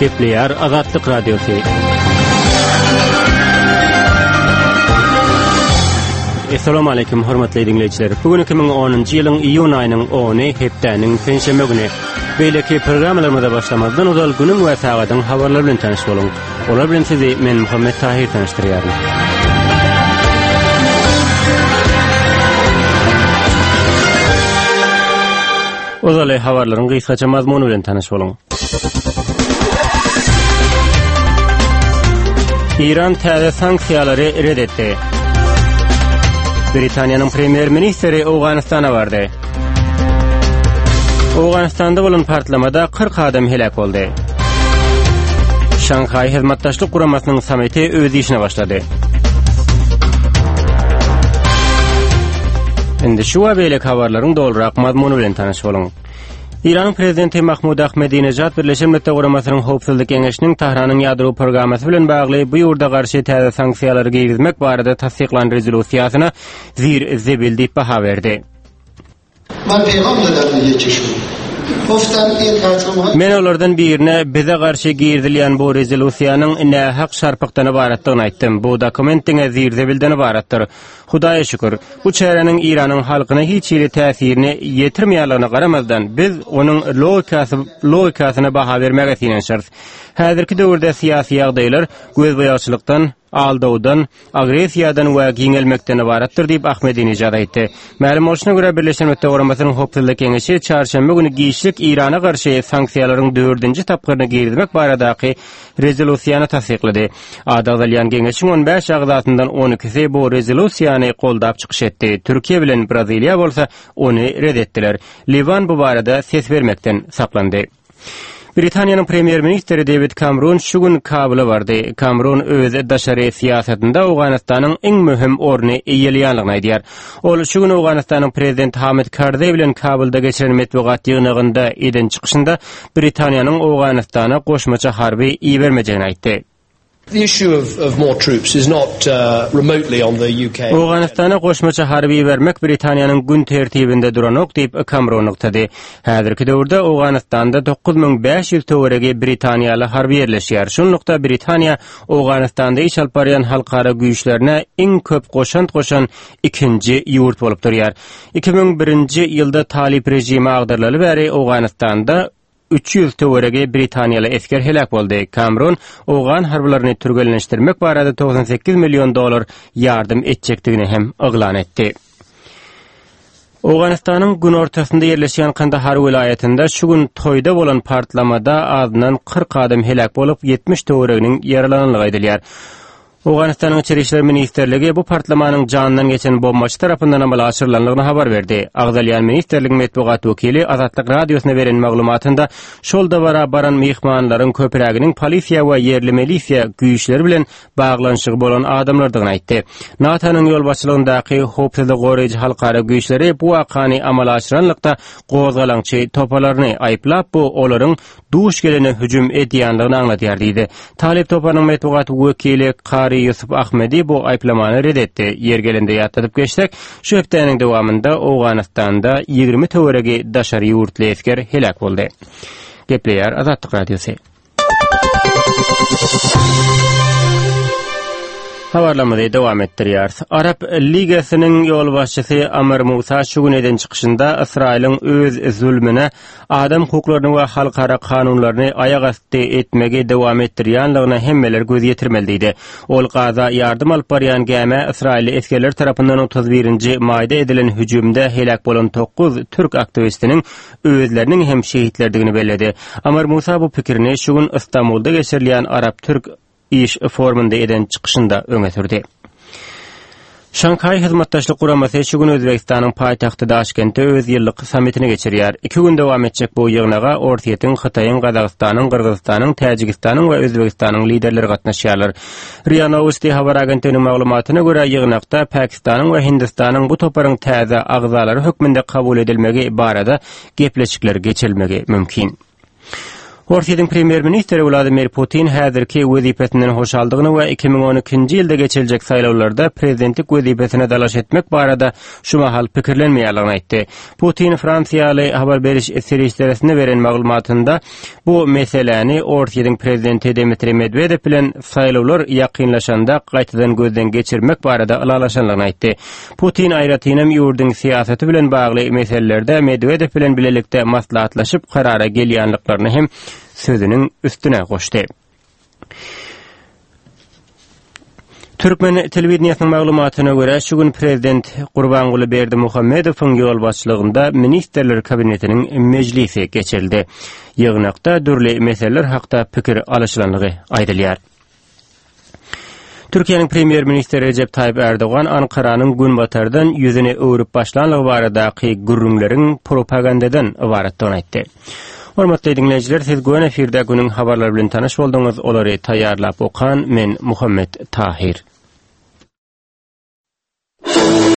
Gepleýär Azatlyk Radiosy. Assalamu alaykum hormatly diňleýjiler. Bu gün 2010-njy ýylyň iýun aýynyň 10-y hepdäniň penşenbe güni. Beýleki programmalarymyza başlamazdan ozal günüň we sagadyň habarlary bilen tanyş boluň. Olar bilen sizi men Muhammet Tahir tanyşdyrýaryn. Ozaly habarlaryň gysgaça mazmuny bilen tanyş boluň. Iran täze sanksiýalary red etdi. Britaniýanyň premýer-ministri Owganystana bardy. Owganystanda bolan partlamada 40 adam heläk boldy. Şanhaý Hyzmatdaşlyk Guramasynyň sammiti öz işine başlady. Indi şu we beýleki habarlaryň dolurak mazmuny bilen tanyş boluň. Eýranyň prezidenti Mahmud Ahmedinejad Birleşen Milletler Guramasynyň Howpsuzlyk Geňeşiniň Tahranyň ýadro programmasy bilen bagly bu ýurda garşy täze sanksiýalary girizmek barada tassyklan rezolýusiýasyna zir-zibil diýip baha berdi. Men olardan birine bize garşy girizilýän bu rezolýusiýanyň nähak şarpykdan ybaratdygyny aýtdym. Bu dokument diňe zir-zibilden ybaratdyr. Hudaýa şükür, bu çäräniň Eýranyň halkyna hiç hili täsirini ýetirmeýänligine garamazdan, biz onuň logikasy logikasyna baha bermäge synanyşarys. Häzirki döwürde syýasy ýagdaýlar gözboýagçylykdan, aldawdan, agressiýadan we giňelmekden ybaratdyr diýip, Ahmedinejad aýtdy. Mälim bolşuna görä, Birleşen Milletler Guramasynyň Howpsuzlyk Geňeşi çarşenbe güni giçlik Eýrana garşy sanksiýalaryň dördünji tapgyryny girizmek baradaky rezolýusiýany tassyklady. Ady agzalýan geňeşiň on bäş agzasyndan on ikisi bu rezolýusiýany goldap çykyş etdi, Türkiýe bilen Braziliýa bolsa ony ret etdiler. Liwan bu barada ses bermekden saklandy. Britaniýanyň premýer-ministri Dewid Kamrun şu gün Kabula bardy. Kamrun öz daşary syýasatynda Owganystanyň iň möhüm orny eýeleýänligini aýdýar. Ol şu gün Owganystanyň prezidenti Hamid Karzaý bilen Kabulda geçiren metbugat ýygnagynda eden çykyşynda Britaniýanyň Owganystana goşmaça harby ibermejegini aýtdy. Owganystana goşmaça harby ibermek Britaniýanyň gün tertibinde duranok diýip, Kamron nygtady. Häzirki döwürde Owganystanda 9500 töweregi britaniýaly harby ýerleşýär. Şunlukda, Britaniýa Owganystanda iş alyp barýan halkara güýçlerine iň köp goşant goşan ikinji ýurt bolup durýar. 2001-nji ýylda talyp režimi agdarylaly bäri Owganystanda 300 töweregi britaniýaly esger heläk boldy. Kamron owgan harbylaryny türgenleşdirmek barada 98 million dollar ýardam etjekdigini hem yglan etdi. Owganystanyň günortasynda ýerleşýän Kandahar welaýatynda şu gün toýda bolan partlamada azyndan 40 adam heläk bolup, 70 töwereginiň ýaralanandygy aýdylýar. Owganystanyň Içeri işler ministrligi bu partlamanyň janyndan geçen bombaçy tarapyndan amala aşyrylandygyny habar berdi. Agzalýan ministrligiň metbugat wekili Azatlyk Radiosyna beren maglumatynda şol dabara baran myhmanlaryň köpräginiň polisiýa we ýerli milisiýa güýçleri bilen baglanyşygy bolan adamlardygyny aýtdy. NATO-nyň ýolbaşçylygyndaky howpsuzlygy goraýjy halkara güýçleri bu wakany amala aşyranlykda gozgalaňçy toparlaryny aýyplap, bu olaryň duş gelene hüjüm edýändigini aňladýar diýdi. Talyp toparynyň metbugat wekili Kary Ýusup Ahmedi bu aýyplamany ret etdi. Ýeri gelende ýatladyp geçsek, şu hepdäniň dowamynda Owganystanda 20 töweregi daşary ýurtly esger heläk boldy. Gepleýär Azatlyk Radiosy. Habarlarymyzy dowam etdirýäris. Arap Ligasynyň ýolbaşçysy Amr Musa şu gün eden çykyşynda Ysraýylyň öz zulmüne adam hukuklaryny we halkara kanunlaryny aýak asty etmegi dowam etdirýänligine hemmeler göz ýetirmeli diýdi. Ol Gaza ýardam alyp barýan gämä ysraýylly esgerler tarapyndan 31-nji maýda edilen hüjümde heläk bolan dokuz türk aktiwistiniň özleriniň hem şehitlerdigini belledi. Amar Musa bu pikirini şu gün Ystambulda geçirilýän Arap-türk iş forumynda eden çykyşynda öňe sürdi. Şanhaý Hyzmatdaşlyk Guramasy şu gün Özbegistanyň paýtagty Daşkentde öz ýyllyk sammitini geçirýär. Iki gün dowam etjek bu ýygnaga Orsýetiň, Hytaýyň, Gazagystanyň, Gyrgyzystanyň, Täjigistanyň we Özbegistanyň liderleri gatnaşýarlar. Ria Nowosti habar agentliginiň maglumatyna görä, ýygnakda Pakistanyň we Hindistanyň bu toparyň täze agzalary hökmünde kabul edilmegi barada gepleşikler geçirilmegi mümkin. Orsýetiň premýer-ministri Wladimir Putin häzirki wezipesinden hoşaldygyny we 2012-nji ýylda geçiriljek saýlawlarda prezidentlik wezipesine dalaş etmek barada şu mahal pikirlenmeýärligini aýtdy. Putin fransiýaly habar beriş serişderesine beren maglumatynda bu meseläni Orsýetiň prezidenti Dmitriý Medwedew bilen saýlawlar ýakynlaşanda gaýtadan gözden geçirmek barada ylalaşanlygyny aýtdy. Putin aýratynam ýurduň syýasaty bilen bagly meselelerde Medwedew bilen bilelikde maslahatlaşyp karara gelýänliklaryny hem sözüniň üstüne goşdy. Türkmen telewideniýesiniň maglumatyna görä, şu gün prezident Gurbanguly Berdimuhamedowyň ýolbaşçylygynda Ministrler Kabinetiniň mejlisi geçirildi. Ýygnakda dürli meseleler hakda pikir alyşylandygy aýdylýar. Türkiýäniň premýer-ministri Rejep Taýyp Ärdogan Ankaranyň Günbatardan ýüzüni öwrüp başlanlygy baradaky gürrüňleriň propagandadan ybaratdygyny aýtdy. Hormatly diňleýjiler, siz göni efirde günüň habarlary bilen tanyş bolduňyz. Olary taýýarlap okan men Muhammet Tahir.